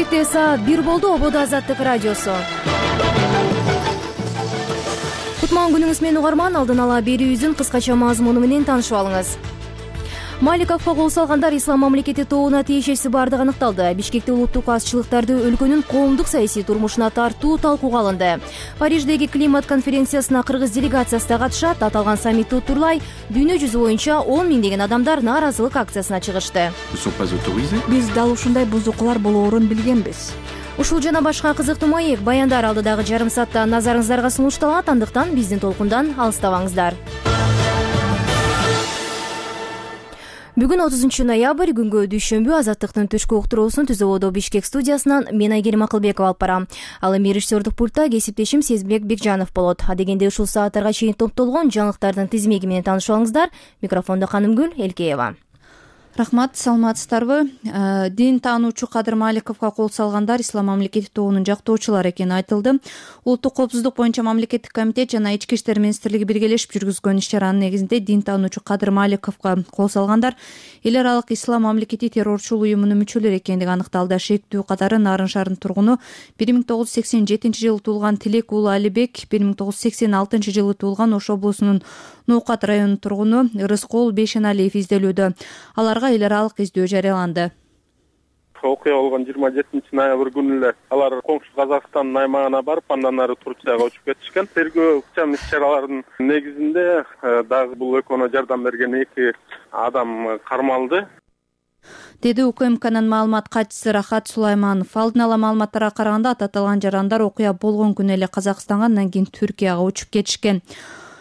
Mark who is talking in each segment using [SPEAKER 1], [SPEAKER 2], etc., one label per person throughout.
[SPEAKER 1] Кечээкте саат 1 болду. Ободо Азаттык радиосу. Кутман күнүңүз менен угарман. Алдын ала берүүбүздүн кыскача мазмуну менен таанышып алыңыз. Маликовго кол салгандар Ислам мамлекети тобуна тиешеси бардыгы аныкталды. Бишкекте улуттук азчылыктарды өлкөнүн коомдук саясий турмушуна тартуу талкууга алынды. Париждеги климат конференциясына кыргыз делегациясы да катышат. Аталган саммитти утурлай дүйнө жүзү боюнча 10 миңдеген адамдар нааразылык акциясына чыгышты.
[SPEAKER 2] Биз дал ушундай бузукулар болоорун билгенбиз.
[SPEAKER 1] Ушул жана башка кызыктуу маек баяндар алдыдагы жарым саатта назарыңыздарга сунушталат. Андыктан биздин толкундан алыстабаңыздар. Бүгүн 30 ноябрь күнгө дүйшөмбү. Азаттыктын түшкү уктуруусун Түз Ободо Бишкек студиясынан мен Айгерим Акылбекова алып барам. Ал эми режиссердук пультта кесиптешим Сезбек Бекжанов болот. Адегенде ушул сааттарга чейин топтолгон жаңылыктардын тизмеги менен таанышып алыңыздар. Микрофондо Канымгүл Элкеева.
[SPEAKER 2] Рахмат, саламатсыздарбы? Дин таануучу Кадыр Маликовго кол салгандар Ислам мамлекети тобунун жактоочулары экени айтылды. Улуттук коопсуздук боюнча мамлекеттик комитет жана Ички иштер министрлиги биргелешип жүргүзгөн иш-чаранын негизинде дин таануучу Кадыр Маликовго кол салгандар эл аралык Ислам мамлекети террорчул уюмунун мүчөлөрү экендиги аныкталды. Шектүү катары Нарын шаарынын тургуну 1987-жылы туулган Тилек уулу Алибек, 1986 жылы туулган Ош облусунун Ноокат районунун тургуну Рыскол Бейшеналиев изделүүдө. Аларга эл аралык издөө жарыяланды.
[SPEAKER 3] Окуя болгон 27 ноябрь күнү эле алар коңшу Казакстандын аймагына барып, андан ары Турцияга учуп кетишкен. Тергөө иш-чараларынын негизинде дагы бул экөөнө жардам берген 2 адам кармалды,
[SPEAKER 2] деди УКМКнын маалымат катчысы Рахат Сулайманов. Алдын ала маалыматтарга караганда аталган жарандар окуя болгон күнү эле Казакстанга, андан кийин Түркияга учуп кетишкен.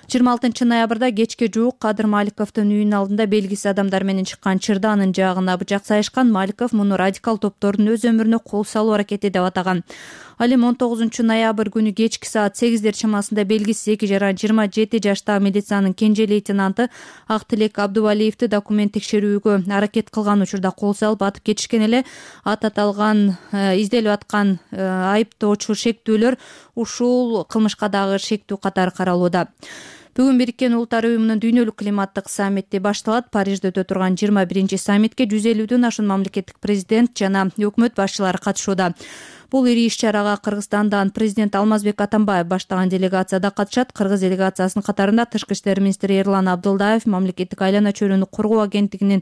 [SPEAKER 2] 26 ноябрда кечке жуук Кадыр Маликовдун үйүнүн алдында белгисиз адамдар менен чыккан чырда анын жаагына бычак сайышкан. Маликов муну радикал топтордун өз өмүрүнө кол салуу аракети деп атаган. Ал эми 19 ноябрь күнү кечки саат 8 чамасында белгисиз 2 жара 27 жаштагы милициянын кенже лейтенанты Актилек Абдувалиевди документ текшерүүгө аракет кылган учурда кол салып атып кетишкен эле. Аталган изделип аткан айыптоочу шектүүлөр ушул кылмышка дагы шектүү катары каралууда. Бүгүн Бириккен Улуттар уюмунун дүйнөлүк климаттык саммити башталат. Парижде өтө турган 21 саммитке 150дөн ашуун мамлекеттик президент жана өкмөт башчылары катышууда. Бул ири иш-чарага Кыргызстандан президент Алмазбек Атамбаев баштаган делегация да катышат. Кыргыз делегациясынын катарында Тышкы иштер министри Эрлан Абдылдаев, мамлекеттик айлана чөйрөнү коргоо агенттигинин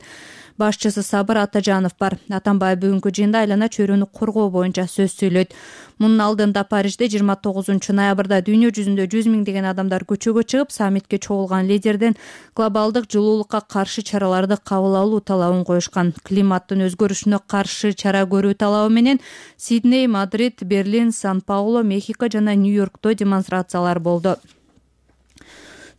[SPEAKER 2] башчысы Сабыр Атажанов бар. Атамбаев бүгүнкү жыйында айлана чөйрөнү коргоо боюнча сөз сүйлөйт. Мунун алдында Парижде 29 ноябрда дүйнө жүзүндө 100 миңдеген адамдар көчөгө чыгып, саммитке чогулган лидерден глобалдык жылуулукка каршы чараларды кабыл алуу талабын коюшкан. Климаттын өзгөрүшүнө каршы чара көрүү талабы менен Сидней, Мадрид, Берлин, Сан-Паулу, Мехико жана Нью-Йоркто демонстрациялар болду.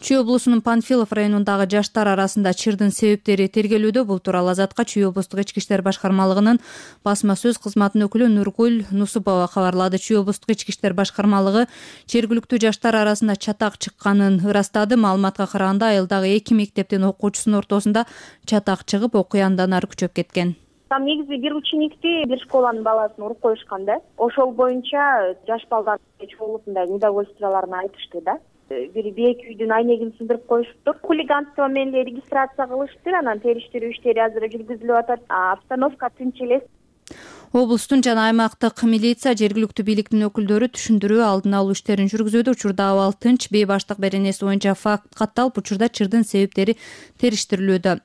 [SPEAKER 2] Чүй облусунун Панфилов районундагы жаштар арасында чырдын себептери тергелүүдө. Бул тууралуу Азатка Чүй облустук ички иштер башкармалыгынын басма сөз кызматынын өкүлү Нургүл Нусупова кабарлады. Чүй облустук ички иштер башкармалыгы жергиликтүү жаштар арасында чатак чыкканын ырастады. Маалыматка караганда айылдагы 2 мектептин окуучусунун ортосунда чатак чыгып, окуя андан ары күчөп кеткен.
[SPEAKER 4] Там негизи бир ученикти, бир школанын баласын уруп коюшкан да. Ошол боюнча жаш балдар чогулупундай недовольстволорун айтышты да. Бир бейек үйдүн айнегин сындырып коюшуптур. Хулиганство менен эле регистрация кылыштыр, анан териштирүү иштери азыр жүргүзүлүп атат. Обстановка тынч эле.
[SPEAKER 2] Облустун жана аймактык милиция, жергиликтүү бийликтин өкүлдөрү түшүндүрүү, алдын алуу иштерин жүргүзүүдө. Учурда абал тынч, бейбаштык беренеси боюнча факт катталып, учурда чырдын себептери териштирилүүдө.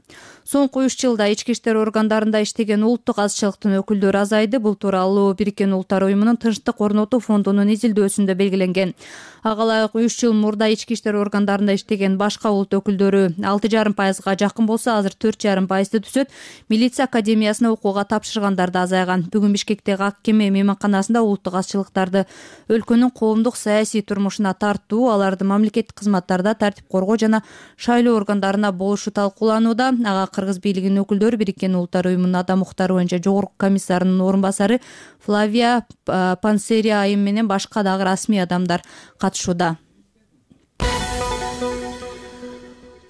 [SPEAKER 2] Соңку 3 жылда ички иштер органдарында иштеген улуттук азчылыктын өкүлдөрү азайды. Бул тууралуу Бириккен Улуттар уюмунун Тынчтык орнотуу фондунун изилдөөсүндө белгиленген. Ага ылайык 3 жыл мурда ички иштер органдарында иштеген башка улут өкүлдөрү 6,5%га жакын болсо, азыр 4,5%ды түзөт. Милиция академиясына окууга тапшыргандар да азайган. Бүгүн Бишкектеги Ак кеме мейманканасында улуттук азчылыктарды өлкөнүн коомдук саясий турмушуна тартуу, аларды мамлекеттик кызматтарда тартип коргоо жана шайлоо органдарына болушу талкууланууда. Ага Кыргыз бийлигинин өкүлдөрү, Бириккен Улуттар уюмунун адам укуктары боюнча жогорку комиссарынын орун басары Флавия Пансерия айым менен башка дагы расмий адамдар катышууда.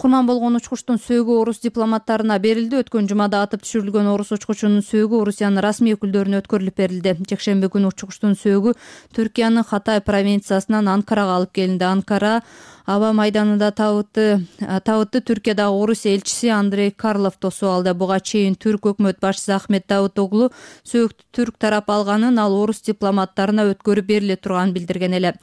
[SPEAKER 2] Курман болгон учкучтун сөөгү орус дипломаттарына берилди. Өткөн жумада атып түшүрүлгөн орус учкучунун сөөгү Орусиянын расмий өкүлдөрүнө өткөрүлүп берилди. Жекшемби күнү учкучтун сөөгү Түркиянын Хатай провинциясынан Анкарага алып келинди. Анкара Аба майданында табытты Түркиядагы Орусия элчиси Андрей Карлов тосуп алды. Буга чейин түрк өкмөт башчысы Ахмет Давутоглу сөөгүттү түрк тарап алганын, ал орус дипломаттарына өткөрүп бериле турганын билдирген эле.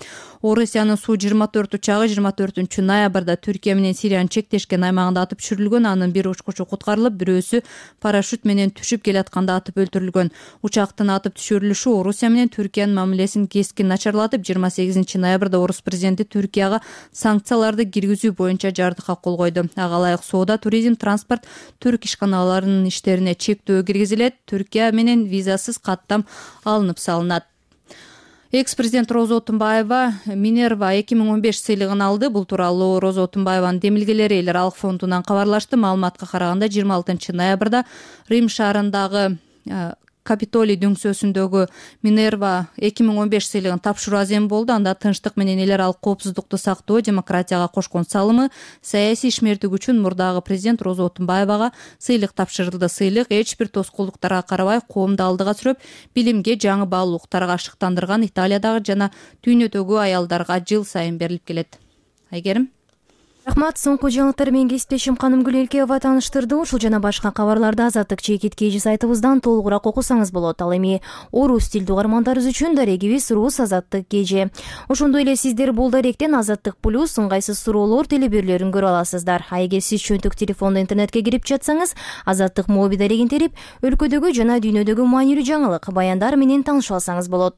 [SPEAKER 2] Орусиянын Су-24 учагы 24 ноябрда Түркия менен Сириянын чектешкен аймагында атып түшүрүлгөн. Анын бир учкучу куткарылып, бирөөсү парашют менен түшүп келатканда атып өлтүрүлгөн. Учактын атып түшүрүлүшү Орусия менен Түркиянын мамилесин кескин начарлатып, 28 ноябрда орус президенти Түркияга санкцияларды киргизүү боюнча жардыкка кол койду. Ага ылайык соода, туризм, транспорт, түрк ишканаларынын иштерине чектөө киргизилет. Түркия менен визасыз каттам алынып салынат. Экс-президент Роза Отунбаева Минерва 2015 сыйлыгын алды. Бул тууралуу Роза Отунбаеванын демилгелери Эл аралык фондунан кабарлашты. Маалыматка караганда 26 ноябрда Рим шаарындагы Капитолий дөңсөөсүндөгү Минерва 2015 сыйлыгын тапшыруу азем болду. Анда тынчтык менен эл аралык коопсуздукту сактоо, демократияга кошкон салымы, саясий ишмердик үчүн мурдагы президент Роза Отунбаевага сыйлык тапшырылды. Сыйлык эч бир тоскоолдуктарга карабай коомду алдыга сүрөп, билимге, жаңы баалуулуктарга ашыктандырган Италиядагы жана дүйнөдөгү аялдарга жыл сайын берилип келет. Айгерим.
[SPEAKER 1] Рахмат. Соңку жаңылыктар менен кесиптешим Канымгүл Элкеева тааныштырды. Ушул жана башка кабарларды Азаттык ЧК сайтыбыздан толугураак окусаңыз болот. Ал эми орус тилдүү угармандарыбыз үчүн дарегибиз Рус Азаттык KG. Ошондой эле сиздер бул даректен Азаттык плюс ыңгайсыз суроолор телеберлерин көрө аласыздар. А эгер сиз чөнтөк телефондо интернетке кирип жатсаңыз, Азаттык моби дарегин терип, өлкөдөгү жана дүйнөдөгү маанилүү жаңылык, баяндар менен таанышып алсаңыз болот.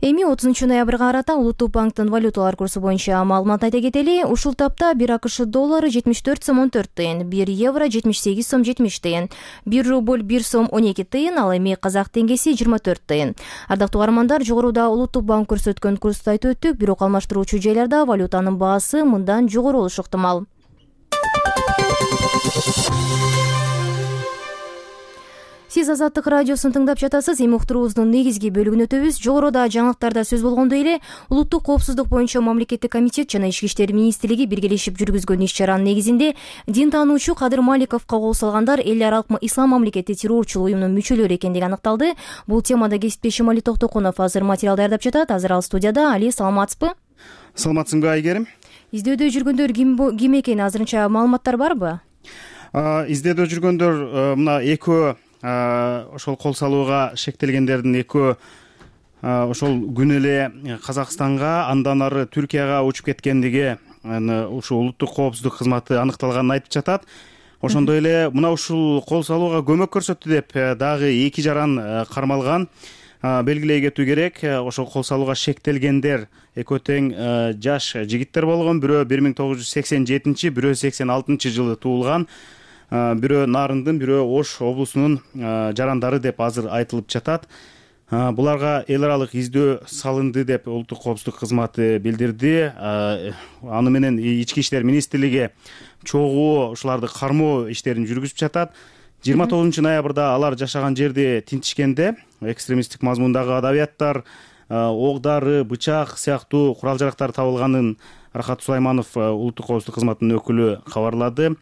[SPEAKER 1] Эми 30 ноябрга карата Улуттук банктын валюталар курсу боюнча маалымат айта кетели. Ушул тапта 1 АКШ доллары 74 сом 14 тыйын, 1 евро 78 сом 70 тыйын, 1 рубль 1 сом 12 тыйын, ал эми казак теңгеси 24 тыйын. Ардактуу угармандар, жогоруда Улуттук банк көрсөткөн курсту айтып өттүк, бирок алмаштыруучу жайларда валютанын баасы мындан жогору болушу ыктымал. Сиз Азаттык радиосун тыңдап жатасыз. Эми уктуруубуздун негизги бөлүгүнө өтөбүз. Жогоруда жаңылыктарда сөз болгондой эле, улуттук коопсуздук боюнча мамлекеттик комитет жана Ички иштер министрлиги биргелешип жүргүзгөн иш-чаранын негизинде дин таануучу Кадыр Маликовго кол салгандар эл аралык ислам мамлекети террорчулук уюмунун мүчөлөрү экендиги аныкталды. Бул темада кесиптешим Али Токтокунов азыр материал даярдап жатат. Азыр ал студияда. Али, саламатсызбы?
[SPEAKER 5] Саламатсыңбы, Айгерим?
[SPEAKER 1] Издөөдө жүргөндөр ким экени азырынча маалыматтар барбы?
[SPEAKER 5] Издөөдө жүргөндөр мына экөө ошол кол салууга шектелгендердин экөө ошол күнү эле Казакстанга, андан ары Түркияга учуп кеткендиги ушул улуттук коопсуздук кызматы аныкталганын айтып жатат. Ошондой эле мына ушул кол салууга көмөк көрсөттү деп дагы 2 жаран кармалган. Белгилей кетүү керек, ошол кол салууга шектелгендер экөө тең жаш жигиттер болгон. Бирөө 1987, бирөө 86 жылы туулган. Бирөө Нарындын, бирөө Ош облусунун жарандары деп азыр айтылып жатат. Буларга эл аралык издөө салынды деп улуттук коопсуздук кызматы билдирди. Аны менен Ички иштер министрлиги чогуу ушуларды кармоо иштерин жүргүзүп жатат. 29 ноябрда алар жашаган жерди тинтишкенде экстремисттик мазмундагы адабияттар, оғдары, бычак сыяктуу курал жарактар табылганын Рахат Сулайманов улуттук коопсуздук кызматынын өкүлү кабарлады.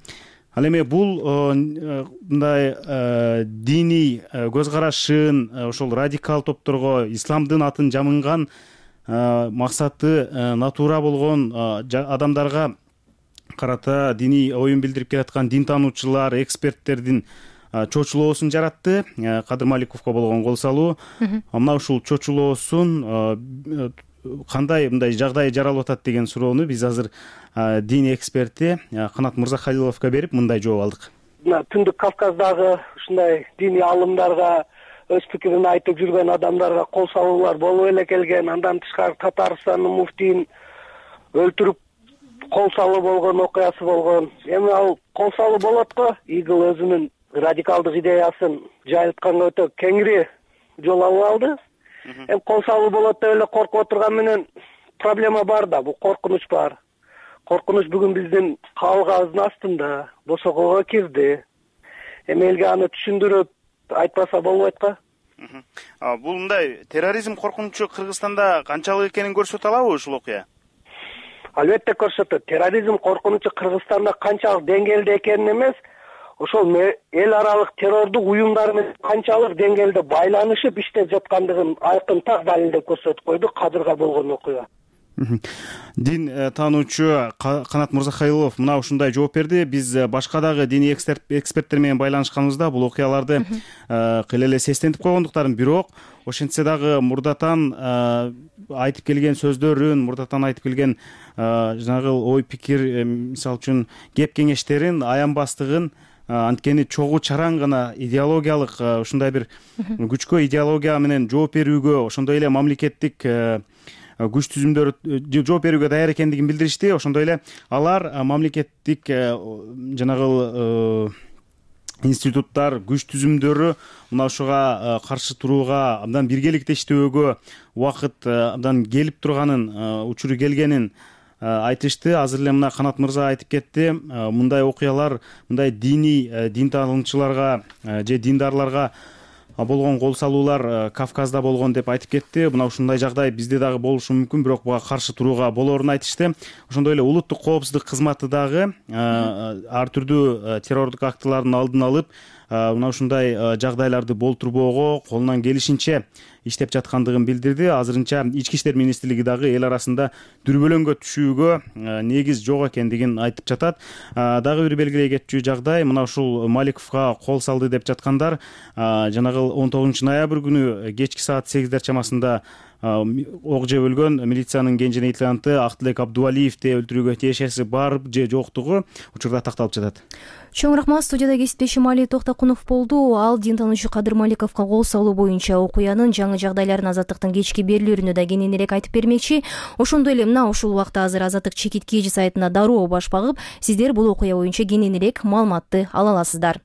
[SPEAKER 5] Ал эми бул мындай диний көз карашын ошол радикал топторго исламдын атын жамынган максаты натура болгон адамдарга карата диний оюн билдирип келаткан дин таануучулар, эксперттердин чочулоосун жаратты. Кадыр Маликовго болгон кол салуу. Мына ушул чочулоосун кандай мындай жагдай жаралып атат деген суроону биз азыр дин эксперти Канат Мырзахалиловго берип мындай жооп алдык.
[SPEAKER 6] Түндүк Кавказдагы ушундай диний алымдарга, өз пикирин айтып жүргөн адамдарга кол салуулар болуп эле келген. Андан тышкары Татарстандын муфтийин өлтүрүп кол салуу болгон окуясы болгон. Эми ал кол салуу болот го. ИГИЛ өзүнүн радикалдык идеясын жайылтканга өтө кеңири жол алып алды. Эми кол салуу болот деп эле коркуп отурган менен проблема бар да, бул коркунуч бар. Коркунуч бүгүн биздин кабылгабыздын астында босогого кирди. Эми элге аны түшүндүрүп айтпаса болбойт го.
[SPEAKER 5] Бул мындай терроризм коркунучу Кыргызстанда канчалык экенин көрсөтө алабы ушул окуя?
[SPEAKER 6] Албетте көрсөтөт. Терроризм коркунучу Кыргызстанда канчалык деңгээлде экенин эмес, ошол эл аралык террордук уюмдар менен канчалык деңгээлде байланышып иштеп жаткандыгын айкын так далилдеп көрсөтүп койду Кадырга болгон окуя.
[SPEAKER 5] Дин таануучу Канат Мырзахайлов мына ушундай жооп берди. Биз башка дагы диний эксперттер менен байланышканыбызда бул окуяларды кыйла эле сестентип койгондуктарын, бирок ошентсе дагы мурдатан айтып келген сөздөрүн, мурдатан айтып келген жанагы ой пикир, мисалы үчүн кеп кеңештерин аянбастыгын, анткени чогуу чараң гана идеологиялык ушундай бир күчкө идеология менен жооп берүүгө, ошондой эле мамлекеттик күч түзүмдөрү жооп берүүгө даяр экендигин билдиришти. Ошондой эле алар мамлекеттик жанагы институттар, күч түзүмдөрү мына ушуга каршы турууга, абдан биргеликте иштөөгө убакыт абдан келип турганын, учуру келгенин айтышты. Азыр эле мына Канат мырза айтып кетти, мындай окуялар, мындай дин таануучуларга же диндарларга болгон кол салуулар Кавказда болгон деп айтып кетти. Мына ушундай жагдай бизде дагы болушу мүмкүн, бирок буга каршы турууга болоорун айтышты. Ошондой эле улуттук коопсуздук кызматы дагы ар түрдүү террордук актылардын алдын алып, мына ушундай жагдайларды болтурбоого колунан келишинче иштеп жаткандыгын билдирди. Азырынча Ички иштер министрлиги дагы эл арасында дүрбөлөңгө түшүүгө негиз жок экендигин айтып жатат. Дагы бир белгилей кетчү жагдай, мына ушул Маликовго кол салды деп жаткандар жанагы 19 ноябрь күнү кечки саат 8 чамасында ок жеп өлгөн милициянын кенже лейтенанты Актылек Абдувалиевди өлтүрүүгө тиешеси бар же жоктугу учурда такталып жатат.
[SPEAKER 1] Чоң рахмат. Студияда кесиптешим Али Токтокунов болду. Ал дин таануучу Кадыр Маликовго кол салуу боюнча окуянын жаңы жагдайларын Азаттыктын кечки берүүлөрүндө да кененирээк айтып бермекчи. Ошондой эле мына ушул убакта азыр Азаттык чекит KG сайтына дароо баш багып, сиздер бул окуя боюнча кененирээк маалыматты ала аласыздар.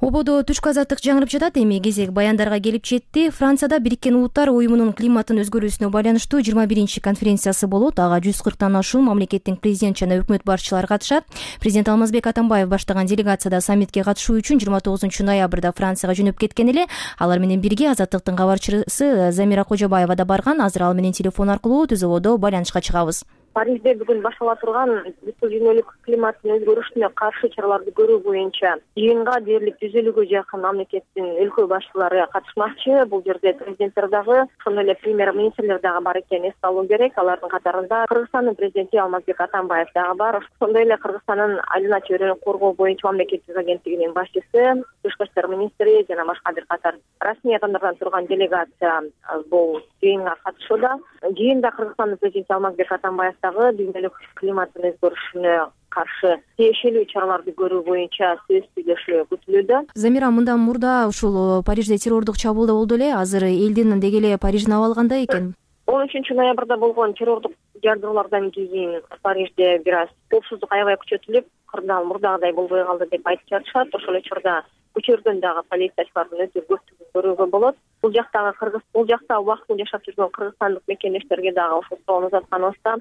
[SPEAKER 1] Ободо түшкү азаттык жаңырып жатат. Эми кезек баяндарга келип жетти. Францияда Бириккен Улуттар уюмунун климаттын өзгөрүүсүнө байланыштуу 21 конференциясы болот. Ага 140тан ашуун мамлекеттин президент жана өкмөт башчылары катышат. Президент Алмазбек Атамбаев баштаган делегацияда саммитке катышуу үчүн 29 ноябрда Францияга жөнөп кеткен эле. Алар менен бирге Азаттыктын кабарчысы Замира Кожобаева да барган. Азыр ал менен телефон аркылуу түз ободо байланышка чыгабыз.
[SPEAKER 4] Парижде бүгүн баштала турган бүткүл дүйнөлүк климаттын өзгөрүшүнө каршы чараларды көрүү боюнча жыйынга дээрлик 150-гө жакын мамлекеттин өлкө башчылары катышмакчы. Бул жерде президенттер дагы, ошондой эле премьер-министрлер дагы бар экенин эске алуу керек. Алардын катарында Кыргызстандын президенти Алмазбек Атамбаев дагы бар. Ошондой эле Кыргызстандын айлана чөйрөнү коргоо боюнча мамлекеттик агенттигинин башчысы, тышкы иштер министри жана башка бир катар расмий адамдардан турган делегация бул жыйынга катышууда. Жыйында Кыргызстандын президенти Алмазбек Атамбаев дүйнөлүк климаттын өзгөрүшүнө каршы тиешелүү чараларды көрүү боюнча сөз сүйлөшүү күтүлүүдө.
[SPEAKER 1] Замира, мындан мурда ушул Парижде террордук чабуул болду эле. Азыр элдин деги эле Париждин абалы кандай экен?
[SPEAKER 4] 13 ноябрда болгон террордук жардыруулардан кийин Парижде бир аз коопсуздук аябай күчөтүлүп, кырдаал мурдагыдай болбой калды деп айтып жатышат. Ошол учурда көчөрдөн дагы полициячылардын өтө көптүгүн көрүүгө болот. Бул жактагы бул жакта убактылуу жашап жүргөн кыргызстандык мекендештерге дагы ошол суроону узатканыбызда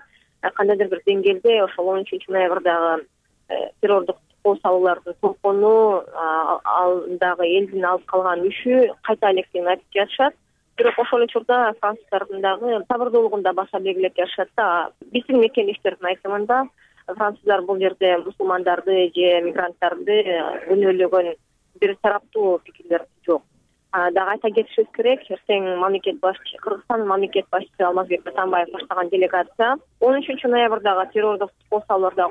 [SPEAKER 4] кандайдыр бир деңгээлде ошол 13 ноябрдагы террордук кол салуулардын толкуну, алдагы элдин алып калган үшү кайта электигин айтып жатышат. Бирок ошол учурда француздардын дагы сабырдуулугун да баса белгилеп жатышат да. Биздин мекендештердин айтымында француздар бул жерде мусулмандарды же мигранттарды күнөөлөгөн бир тараптуу пикирлер жок. Дагы айта кетишибиз керек, эртең Кыргызстандын мамлекет башчысы Алмазбек Атамбаев баштаган делегация 13 ноябрдагы террордук кол салууларда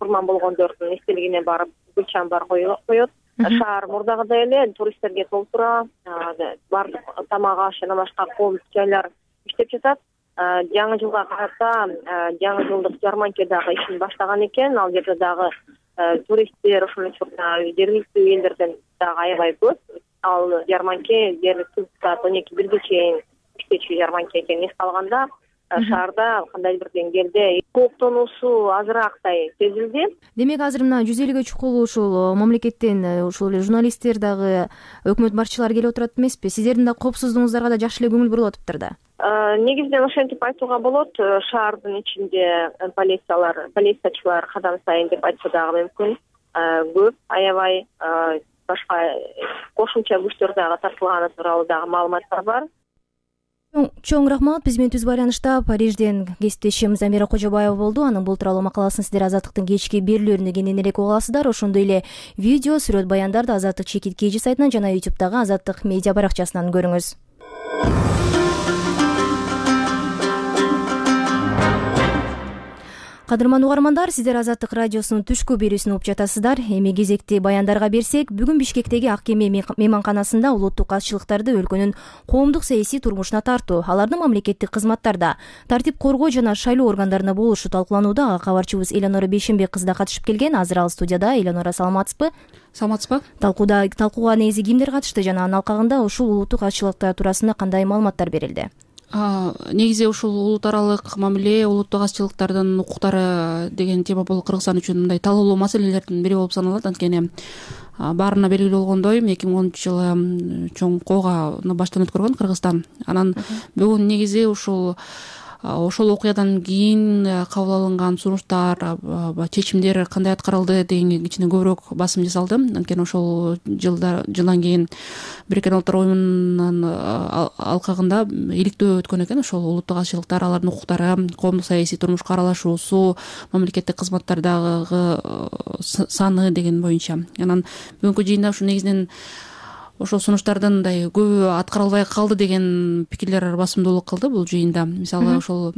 [SPEAKER 4] курман болгондордун эстелигине барып гүл чамбар коет. Шаар мурдагыдай эле туристтерге толтура, баардык тамак аш жана башка коомдук жайлар иштеп жатат. Жаңы жылга карата жаңы жылдык жарманке дагы ишин баштаган экен. Ал жерде дагы туристтер, ошол учурда жергиликтүү элдерден дагы аябай көп. Ал жарманке дээрлик саат 12-1 чейин иштечү жарманке экенин эске алганда шаарда кандайдыр бир деңгээлде кооптонуусу азыраактай сезилди.
[SPEAKER 1] Демек азыр мына 150-гө чукул ушул мамлекеттен ушул эле журналисттер дагы өкмөт башчылары келип отурат эмеспи? Сиздердин да коопсуздугуңуздарга да жакшы эле көңүл бурулуп атыптыр да.
[SPEAKER 4] Негизинен ошентип айтууга болот. Шаардын ичинде полициячылар кадам сайын деп айтса дагы мүмкүн көп, аябай башка кошумча күчтөр дагы тартылганы тууралуу дагы маалыматтар бар.
[SPEAKER 1] Чоң рахмат. Биз менен түз байланышта Парижден кесиптешим Замира Кожобаева болду. Анын бул тууралуу макаласын сиздер Азаттыктын кечки берүүлөрүндө кененирээк уга аласыздар. Ошондой эле видео, сүрөт баяндарды Азаттык чекит KG сайтынан жана YouTube'дагы Азаттык медиа баракчасынан көрүңүз. Кадырман угармандар, сиздер Азаттык радиосунун түшкү берүүсүн угуп жатасыздар. Эми кезекти баяндарга берсек, бүгүн Бишкектеги Ак Кеме мейманканасында улуттук азчылыктарды өлкөнүн коомдук саясий турмушуна тартуу, алардын мамлекеттик кызматтарда, тартип коргоо жана шайлоо органдарында болушу талкууланууда. Ага кабарчыбыз Элеонора Бейшенбек кызы да катышып келген. Азыр ал студияда. Элеонора, саламатсызбы?
[SPEAKER 2] Саламатсызбы?
[SPEAKER 1] Талкууга негизи кимдер катышты жана анын алкагында ушул улуттук азчылыктар туурасында кандай маалыматтар берилди?
[SPEAKER 2] Негизи ушул улут аралык мамиле, улуттук азчылыктардын укуктары деген тема бул Кыргызстан үчүн мындай талоолуу маселелердин бири болуп саналат. Анткени баарына белгилүү болгондой 2010-жылы чоң коогану баштан өткөргөн Кыргызстан. Анан бүгүн негизи ошол окуядан кийин кабыл алынган сунуштар, чечимдер кандай аткарылды деген кичине көбүрөөк басым жасалды. Анткени ошол жылдан кийин Бириккен Улуттар уюмунун алкагында иликтөө өткөн экен. Ошол улуттук азчылыктар, алардын укуктары, коомдук саясий турмушка аралашуусу, мамлекеттик кызматтардагы саны деген боюнча. Анан бүгүнкү жыйында ушу негизинен ошол сунуштардын мындай көбү аткарылбай калды деген пикирлер басымдуулук кылды бул жыйында. Мисалы ошол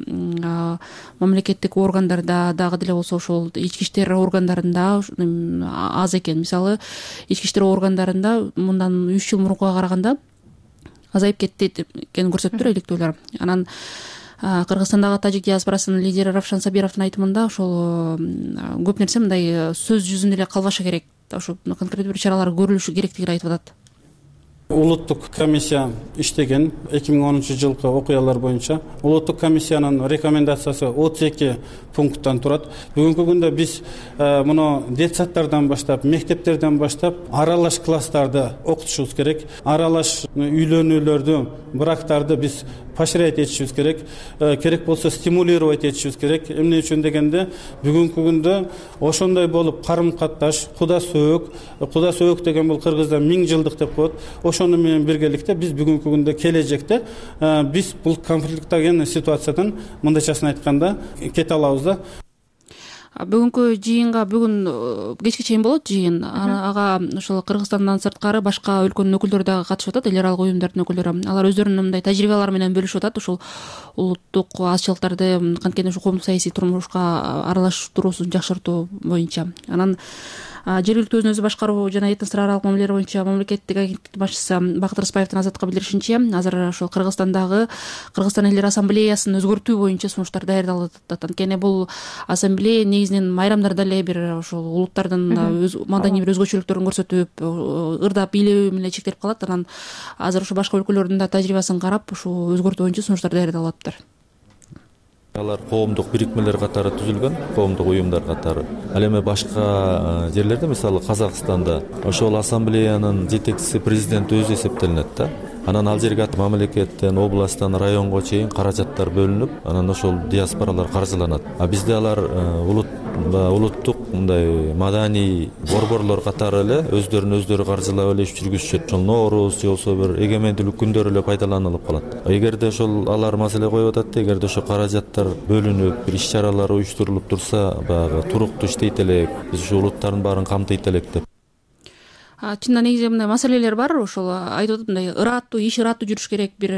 [SPEAKER 2] мамлекеттик органдарда дагы деле болсо ошол ички иштер органдарында аз экен. Мисалы ички иштер органдарында мындан 3 жыл мурункуга караганда азайып кетти экенин көрсөттүр иликтөөлөр. Анан Кыргызстандагы тажик диаспорасынын лидери Равшан Сабировдун айтымында ошол көп нерсе мындай сөз жүзүндө эле калбашы керек. Ошо конкреттүү бир чаралар көрүлүшү керектигин айтып атат.
[SPEAKER 7] Улуттук комиссия иштеген 2010-жылкы окуялар боюнча. Улуттук комиссиянын рекомендациясы 32 пункттан турат. Бүгүнкү күндө биз муну детсадтардан баштап, мектептерден баштап аралаш класстарды окутушубуз керек. Аралаш үйлөнүүлөрдү, брактарды биз поощрять этишибиз керек. Керек болсо стимулировать этишибиз керек. Эмне үчүн дегенде, бүгүнкү күндө ошондой болуп карым-катташ, куда сөөк деген бул кыргызда 1000 жылдык деп коет. Ошону менен биргеликте биз бүгүнкү күндө келечекте биз бул конфликттеген ситуациядан мындайчасын айтканда кете алабыз да.
[SPEAKER 2] Бүгүнкү жыйынга бүгүн кечке чейин болот жыйын. Ага ошол Кыргызстандан сырткары башка өлкөнүн өкүлдөрү дагы катышып атат, эл аралык уюмдардын өкүлдөрү. Алар өздөрүнүн мындай тажрыйбалары менен бөлүшүп атат. Ушул улуттук азчылыктарды канткен ушу коомдук саясий турмушка аралаштыруусун жакшыртуу боюнча. Анан жергиликтүү өзүн өзү башкаруу жана этностор аралык мамилелер боюнча мамлекеттик агенттиктин башчысы Бакыт Рыспаевдин Азаттыкка билдиришинче, азыр ошол Кыргызстан элдер ассамблеясын өзгөртүү боюнча сунуштар даярдалып атат. Анткени бул ассамблея негизинен майрамдарда эле бир ошол улуттардын маданий бир өзгөчөлүктөрүн көрсөтүп, ырдап бийлөө менен чектелип калат. Анан азыр ошо башка өлкөлөрдүн да тажрыйбасын карап, ушул өзгөртүү боюнча сунуштар даярдалып атыптыр.
[SPEAKER 8] Алар коомдук бирикмелер катары түзүлгөн, коомдук уюмдар катары. Ал эми башка жерлерде, мисалы Казакстанда, ошол ассамблеянын жетекчиси президент өзү эсептелинет да. Анан ал жерге мамлекеттен, областтан, районго чейин каражаттар бөлүнүп, анан ошол диаспоралар каржыланат. Бизде алар улуттук мындай маданий борборлор катары эле өздөрүн каржылап эле иш жүргүзүшөт. Ошол Нооруз же болсо бир эгемендүүлүк күндөрү эле пайдаланылып калат. Эгерде ошол алар маселе коюп атат, эгерде ошо каражаттар бөлүнүп, бир иш-чаралар уюштурулуп турса, баягы туруктуу иштейт элек, биз ушу улуттардын баарын камтыйт элек деп.
[SPEAKER 2] Чында негизи мындай маселелер бар. Ошол айтып атат, мындай иш ыраттуу жүрүш керек. Бир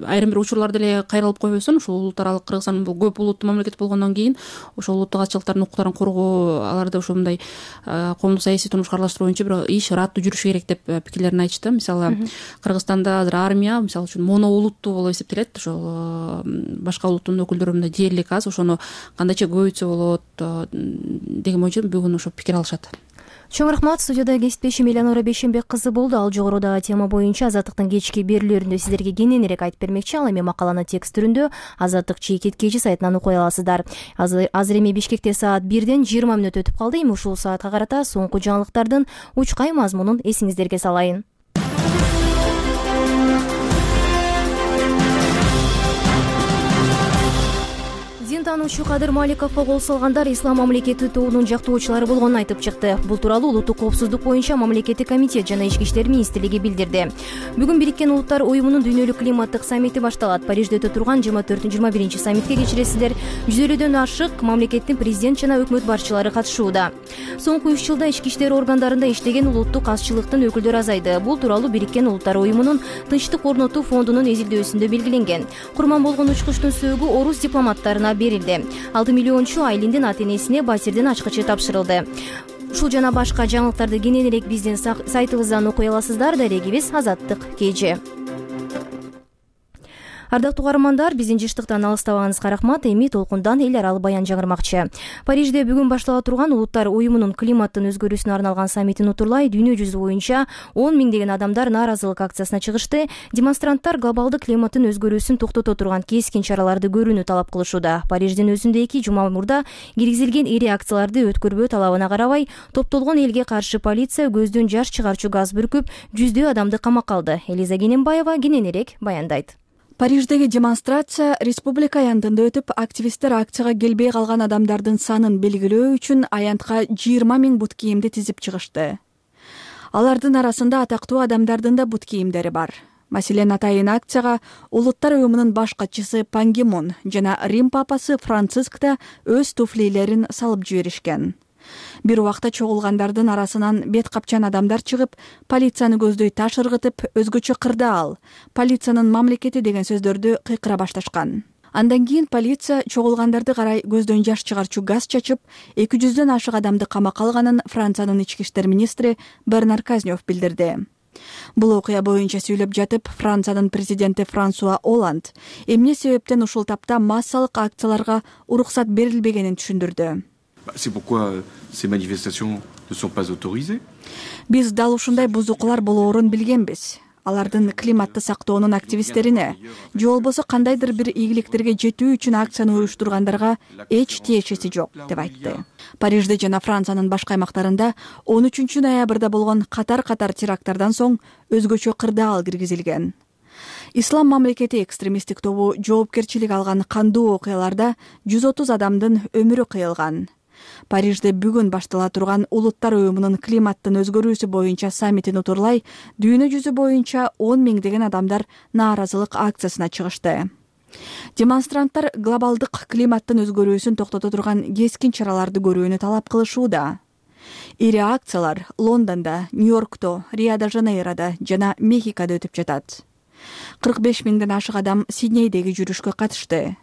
[SPEAKER 2] айрым бир учурларда эле кайрылып койбосун. Ошол улут аралык Кыргызстан бул көп улуттуу мамлекет болгондон кийин ошол улуттук азчылыктардын укуктарын коргоо, аларды ошо мындай коомдук саясий турмушка аралаштыруу боюнча бир иш ыраттуу жүрүш керек деп пикирлерин айтышты. Мисалы Кыргызстанда азыр армия мисалы үчүн моноулуттуу болуп эсептелет. Ошол башка улуттун өкүлдөрү мындай дээрлик аз, ошону кандайча көбөйтсө болот деген боюнча бүгүн ошо пикир алышат.
[SPEAKER 1] Чоң рахмат. Студияда кесиптешим Элеонора Бейшенбек кызы болду. Ал жогорудагы тема боюнча Азаттыктын кечки берүүлөрүндө сиздерге кененирээк айтып бермекчи. Ал эми макаланы текст түрүндө Азаттык чекит KG сайтынан окуй аласыздар. Азыр эми Бишкекте саат 1ден 20 мүнөт өтүп калды. Эми ушул саатка карата соңку жаңылыктардын учкай мазмунун эсиңиздерге салайын. таануучу Кадыр Маликовго кол салгандар Ислам мамлекети тобунун жактоочулары болгонун айтып чыкты. Бул тууралуу Улуттук коопсуздук боюнча мамлекеттик комитет жана Ички иштер министрлиги билдирди. Бүгүн Бириккен Улуттар уюмунун дүйнөлүк климаттык саммити башталат. Парижде өтө турган 24-21 саммитке кечиресиздер 150дөн ашык мамлекеттин президент жана өкмөт башчылары катышууда. Соңку 3 жылда ички иштер органдарында иштеген улуттук азчылыктын өкүлдөрү азайды. Бул тууралуу Бириккен Улуттар уюмунун Тынчтык орнотуу фондунун изилдөөсүндө белгиленген. Курман болгон учкучтун сөөгү орус дипломаттарына берилди. 6 миллиончу Айлиндин ата-энесине батирдин ачкычы тапшырылды. Ушул жана башка жаңылыктарды кененирээк биздин сайтыбыздан окуй аласыздар. Дарегибиз Азаттык KG. Ардактуу каармандар, биздин жыштыктан алыстабаңызга рахмат. Эми толкундан эл аралык баян жаңырмакчы. Парижде бүгүн баштала турган Улуттар уюмунун климаттын өзгөрүүсүнө арналган саммитин утурлай дүйнө жүзү боюнча 10 миңдеген адамдар нааразылык акциясына чыгышты. Демонстранттар глобалдык климаттын өзгөрүүсүн токтото турган кескин чараларды көрүүнү талап кылышууда. Париждин өзүндө 2 жума мурда киргизилген ири акцияларды өткөрбөө талабына карабай, топтолгон элге каршы полиция көздөн жаш чыгарчу газ бүркүп, жүздөө адамды камакка алды. Элиза Кененбаева кененирээк баяндайт.
[SPEAKER 9] Париждеги демонстрация республика аянтында өтүп, активисттер акцияга келбей калган адамдардын санын белгилөө үчүн аянтка 20 миң бут кийимди тизип чыгышты. Алардын арасында атактуу адамдардын да бут кийимдери бар. Маселен, атайын акцияга Улуттар уюмунун баш катчысы Пан Ги Мун жана Рим папасы Франциск да өз туфлилерин салып жиберишкен. Бир убакта чогулгандардын арасынан бет капчан адамдар чыгып, полицияны көздөй таш ыргытып, өзгөчө кырдаал, полициянын мамлекети деген сөздөрдү кыйкыра башташкан. Андан кийин полиция чогулгандарды карай көздөн жаш чыгарчу газ чачып, 200дөн ашык адамды камакка алганын Франциянын ички иштер министри Бернар Казнев билдирди. Бул окуя боюнча сүйлөп жатып, Франциянын президенти Франсуа Оланд эмне себептен ушул тапта массалык акцияларга уруксат берилбегенин түшүндүрдү.
[SPEAKER 10] C'est pourquoi ces manifestations ne sont pas autorisées.
[SPEAKER 9] Биз дал ушундай бузукулар болоорун билгенбиз. Алардын климатты сактоонун активисттерине, же болбосо кандайдыр бир ийгиликтерге жетүү үчүн акцияны уюштургандарга эч тиешеси жок, деп айтты. Парижде жана Франциянын башка аймактарында 13 ноябрда болгон катар-катар теракттардан соң өзгөчө кырдаал киргизилген. Ислам мамлекети экстремисттик тобу жоопкерчилик алган кандуу окуяларда 130 адамдын өмүрү кыйылган. Парижде бүгүн баштала турган Улуттар уюмунун климаттын өзгөрүүсү боюнча саммитин утурлай дүйнө жүзү боюнча 10 миңдеген адамдар нааразылык акциясына чыгышты. Демонстранттар глобалдык климаттын өзгөрүүсүн токтото турган кескин чараларды көрүүнү талап кылышууда. Ири акциялар Лондондо, Нью-Йоркто, Рио-де-Жанейродо жана Мехикодо өтүп жатат. 45 миңден ашык адам Сиднейдеги жүрүшкө катышты.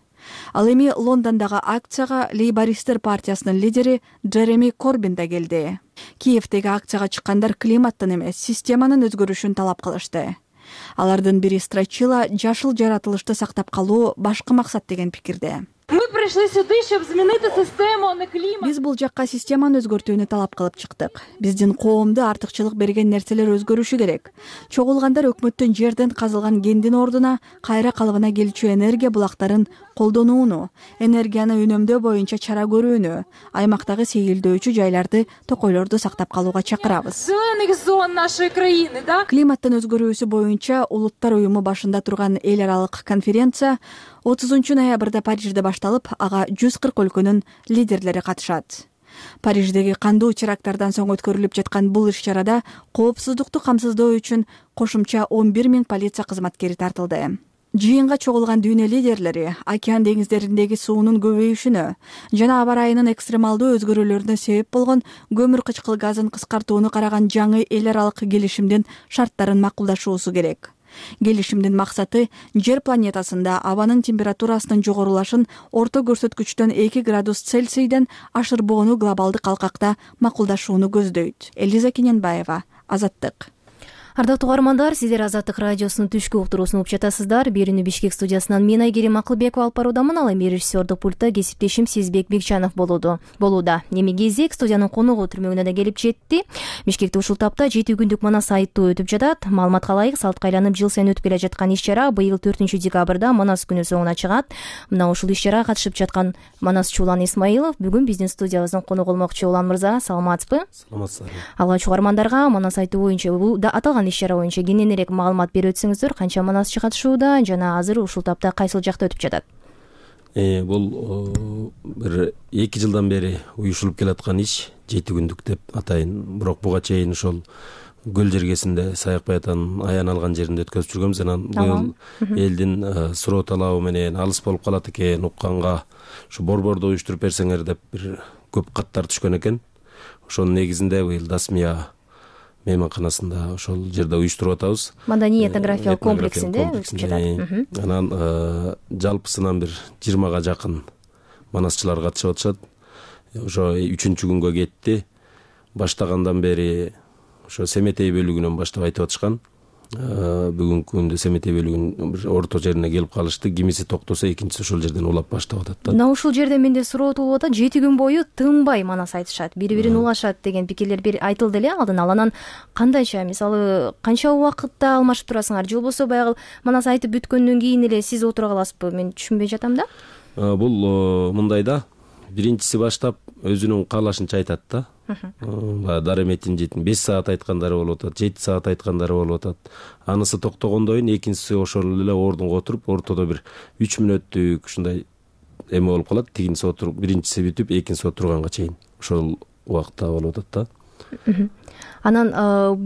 [SPEAKER 9] Ал эми Лондондогу акцияга Лейбористтер партиясынын лидери Джереми Корбин да келди. Киевдеги акцияга чыккандар климаттын эмес, системанын өзгөрүшүн талап кылышты. Алардын бири Страчила жашыл жаратылышты сактап калуу башкы максат деген пикирде. Биз бул жакка системаны өзгөртүүнү талап кылып чыктык. Биздин коомду артыкчылык берген нерселер өзгөрүшү керек. Чогулгандар өкмөттүн жерден казылган кендин ордуна кайра калыбына келчү энергия булактарын колдонууну, энергияны үнөмдөө боюнча чара көрүүнү, аймактагы сейилдөөчү жайларды, токойлорду сактап калууга чакырабыз. Климаттын өзгөрүүсү боюнча Улуттар уюму башында турган эл аралык конференция 30 ноябрда Парижде башталып, ага 140 өлкөнүн лидерлери катышат. Париждеги кандуу теракттардан соң өткөрүлүп жаткан бул иш-чарада коопсуздукту камсыздоо үчүн кошумча 11 миң полиция кызматкери тартылды. Жыйынга чогулган дүйнө лидерлери океан деңиздериндеги суунун көбөйүшүнө жана аба ырайынын экстремалдуу өзгөрүүлөрүнө себеп болгон көмүр кычкыл газын кыскартууну караган жаңы эл аралык келишимдин шарттарын макулдашуусу керек. Келишимдин максаты жер планетасында абанын температурасынын жогорулашын орто көрсөткүчтөн 2 градус Цельсийден ашырбоону глобалдык алкакта макулдашууну көздөйт. Элиза Кененбаева, Азаттык.
[SPEAKER 1] Ардактуу каармандар, сиздер Азаттык радиосунун түшкү уктуруусун угуп жатасыздар. Берүүнү Бишкек студиясынан мен Айгерим Акылбекова алып баруудамын. Ал эми режиссердик пультта кесиптешим Сезбек Бекчанов болууда. Эми кезек студиянын коногу түрмөгүнө да келип жетти. Бишкекте ушул тапта 7 күндүк Манас айыттуу өтүп жатат. Маалыматка ылайык, салтка айланып жыл сайын өтүп келе жаткан иш-чара быйыл 4 декабрда Манас күнү соңуна чыгат. Мына ушул иш-чарага катышып жаткан Манасчы Улан Исмаилов бүгүн биздин студиябыздын коногу болмокчу. Улан мырза, саламатсызбы?
[SPEAKER 11] Саламатсыздар.
[SPEAKER 1] Алгач каармандарга Манас айыттуу боюнча бул аталган иш-чара боюнча кененирээк маалымат берип өтсөңүздөр, канча манасчы катышууда жана азыр ушул тапта кайсыл жакта өтүп жатат?
[SPEAKER 11] Бул бир 2 жылдан бери уюшулуп келаткан иш, 7 күндүк деп атайын. Бирок буга чейин ошол көл жергесинде Саяк Баятанын аян алган жеринде өткөзүп жүргөнбүз. Анан быйыл элдин суроо талабы менен алыс болуп калат экен укканга ушу борборду уюштуруп берсеңер деп бир көп каттар түшкөн экен. Ошонун негизинде быйыл Дасмия мейманканасында ошол жерде уюштуруп атабыз.
[SPEAKER 1] Маданий этнографиялык комплексинде өтүп жатат.
[SPEAKER 11] Анан жалпысынан бир 20га жакын манасчылар катышып атышат. Ошо 3-күнгө кетти. Баштагандан бери ошо Семетей бөлүгүнөн баштап айтып атышкан. Бүгүнкү күндө Семетей бөлүгүнүн бир орто жерине келип калышты. Кимиси токтосо, экинчиси ошол жерден улап баштап атат да.
[SPEAKER 1] Мына ушул жерде менде суроо туулуп атат. 7 күн бою тынбай манас айтышат, бири-бирин улашат деген пикирлер айтылды эле алдын ала. Анан кандайча, мисалы, канча убакытта алмашып турасыңар же болбосо баягы манас айтып бүткөндөн кийин эле сиз отура каласызбы? Мен түшүнбөй жатам да.
[SPEAKER 11] Бул мындай да. Биринчиси баштап өзүнүн каалашынча айтат да. Дареметин 5 саат айткандары болуп атат, 7 саат айткандары болуп атат. Анысы токтогондон кийин экинчиси ошол эле ордунга отуруп, ортодо бир 3 мүнөттүк ушундай эме болуп калат. Тигинчиси отуруп, биринчиси бүтүп, экинчиси отурганга чейин ошол убакытта болуп атат да.
[SPEAKER 1] Анан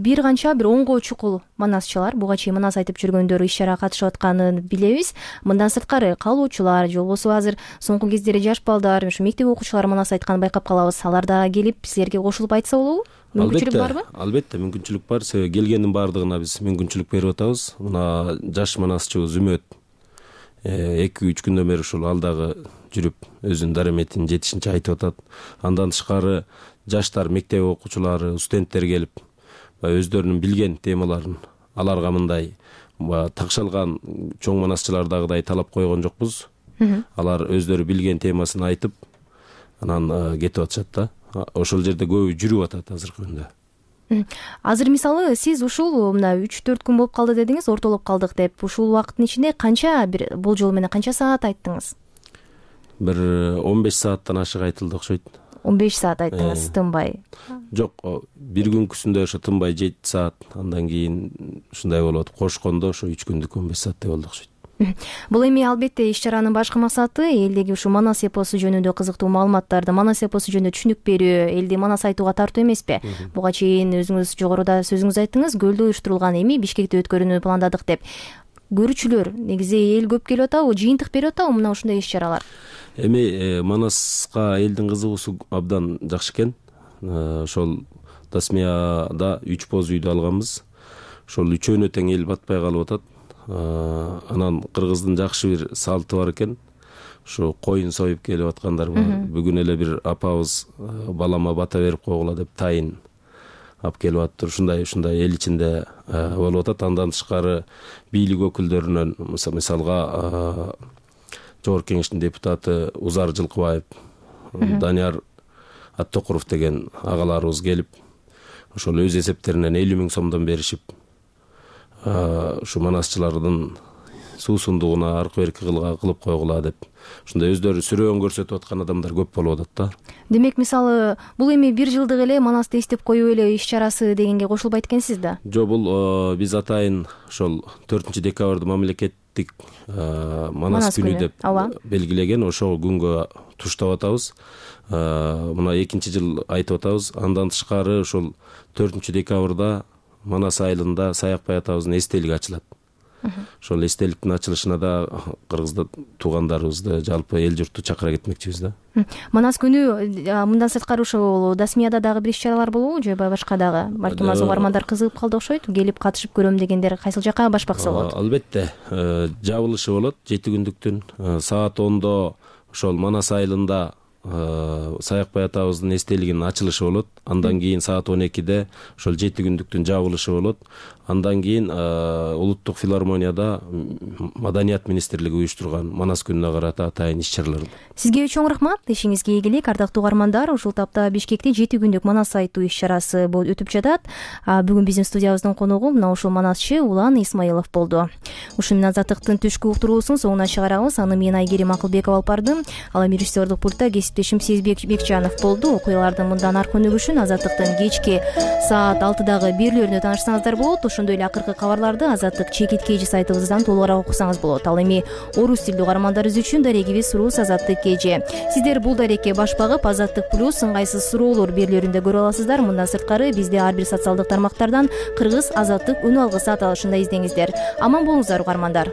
[SPEAKER 1] бир канча бир 10го чукул манасчылар буга чейин манас айтып жүргөндөр иш чарага катышып атканын билебиз. Мындан сырткары калуучулар же болбосо азыр соңку кездери жаш балдар, ушу мектеп окуучулары манас айтканын байкап калабыз. Алар да келип силерге кошулуп айтса болобу? Мүмкүнчүлүк барбы?
[SPEAKER 11] Албетте, мүмкүнчүлүк бар. Себеби келгендин баардыгына биз мүмкүнчүлүк берип атабыз. Мына жаш манасчыбыз Үмөт 2-3 күндөн бери ушул алдагы жүрүп өзүнүн дареметин жетишинче айтып атат. Андан тышкары жаштар, мектеп окуучулары, студенттер келип өздөрүнүн билген темаларын аларга мындай такшалган чоң манасчылардагыдай талап койгон жокпуз. Алар өздөрү билген темасын айтып, анан кетип атышат да. Ошол жерде көбү жүрүп атат азыркы күндө.
[SPEAKER 1] Азыр мисалы сиз ушул мына 3-4 күн болуп калды дедиңиз, ортолоп калдык деп. Ушул убакыттын ичинде канча бир болжол менен канча саат айттыңыз?
[SPEAKER 11] Бир 15 сааттан ашык айтылды окшойт.
[SPEAKER 1] 15 саат айттыңыз, тынбай?
[SPEAKER 11] Жок, бир күнкүсүндө ошо тынбай 7 саат, андан кийин ушундай болот. Кошкондо ошо 3 күндүк 15 сааттай болду окшойт.
[SPEAKER 1] Бул эми албетте иш чаранын башкы максаты элдеги ушу манас эпосу жөнүндө кызыктуу маалыматтарды, манас эпосу жөнүндө түшүнүк берүү, элди манас айтууга тартуу эмеспи? Буга чейин өзүңүз жогоруда сөзүңүз айттыңыз, көлдө уюштурулган, эми Бишкекте өткөрүүнү пландадык деп. Көрүүчүлөр, негизи эл көп келип атабы, жыйынтык берип атабы мына ушундай иш чаралар?
[SPEAKER 11] Эми манаска элдин кызыгуусу абдан жакшы экен. Ошол Дасмияда 3 боз үйдү алганбыз. Ошол үчөөнө тең эл батпай калып атат. Анан кыргыздын жакшы бир салты бар экен. Ушу коюн союп келип аткандар бар. Бүгүн эле бир апабыз балама бата берип койгула деп тайын алып келип аттыр. Ушундай эл ичинде болуп атат. Андан тышкары бийлик өкүлдөрүнөн мисалга Жогорку Кеңештин депутаты Узар Жылкыбаев, Данияр Аттокуров деген агаларыбыз келип, ошол өз эсептеринен 50 000 сомдон беришип, ушу манасчылардын суусундугуна аркы берки кылып койгула деп. Ушундай өздөрү сүрөөн көрсөтүп аткан адамдар көп болуп атат да.
[SPEAKER 1] Демек, мисалы, бул эми бир жылдык эле манасты эстеп коюу эле иш чарасы дегенге кошулбайт экенсиз да?
[SPEAKER 11] Жок, бул биз атайын ошол 4-декабрда мамлекеттик манас күнү деп белгилеген. Ошол күнгө туштап атабыз. Мына 2-нчи жыл айтып атабыз. Андан тышкары ошол 4-декабрда Манас айылында Саяк Баятабыздын эстелиги ачылат. Ошол эстеликтин ачылышына да кыргызды туугандарыбызды, жалпы эл журтту чакыра кетмекчибиз да.
[SPEAKER 1] Манас күнү мындан сырткары ошол Дасмияда дагы бир иш чаралар болобу же башка дагы? Балким аз угармандар кызыгып калды окшойт. Келип катышып көрөм дегендер кайсыл жакка башпакса болот?
[SPEAKER 11] Албетте, жабылышы болот 7 күндүктүн. Саат 10-до ошол Манас айылында Саяк Баятабыздын эстелигинин ачылышы болот. Андан кийин саат 12-де ошол 7 күндүктүн жабылышы болот. Андан кийин Улуттук филармонияда Маданият министрлиги уюштурган Манас күнүнө карата атайын иш чаралар.
[SPEAKER 1] Сизге чоң рахмат. Ишиңизге ийгилик. Ардактуу угармандар, ушул тапта Бишкекте 7 күндүк манас айтуу иш чарасы өтүп жатат. Бүгүн биздин студиябыздын коногу мына ушул манасчы Улан Исмаилов болду. Ушун менен Азаттыктын түшкү уктуруусун соңуна чыгарабыз. Аны мен Айгерим Акылбекова алып бардым. Ал эми режиссердук пультта кесиптешим Сезбек Бекжанов болду. Окуялардын мындан аркы өнүгүшүн Азаттыктын кечки саат 6дагы берүүлөрүндө таанышсаңыздар болот. Ошондой эле акыркы кабарларды Азаттык чекит кежи сайтыбыздан толугураак окусаңыз болот. Ал эми орус тилдүү угармандарыбыз үчүн дарегибиз Сурус Азаттык кежи. Сиздер бул дарекке баш багып Азаттык плюс ыңгайсыз суроолор берүүлөрүндө көрө аласыздар. Мындан сырткары бизди ар бир социалдык тармактардан Кыргыз Азаттык үнү алгысы аталышында издеңиздер. Аман болуңуздар угармандар.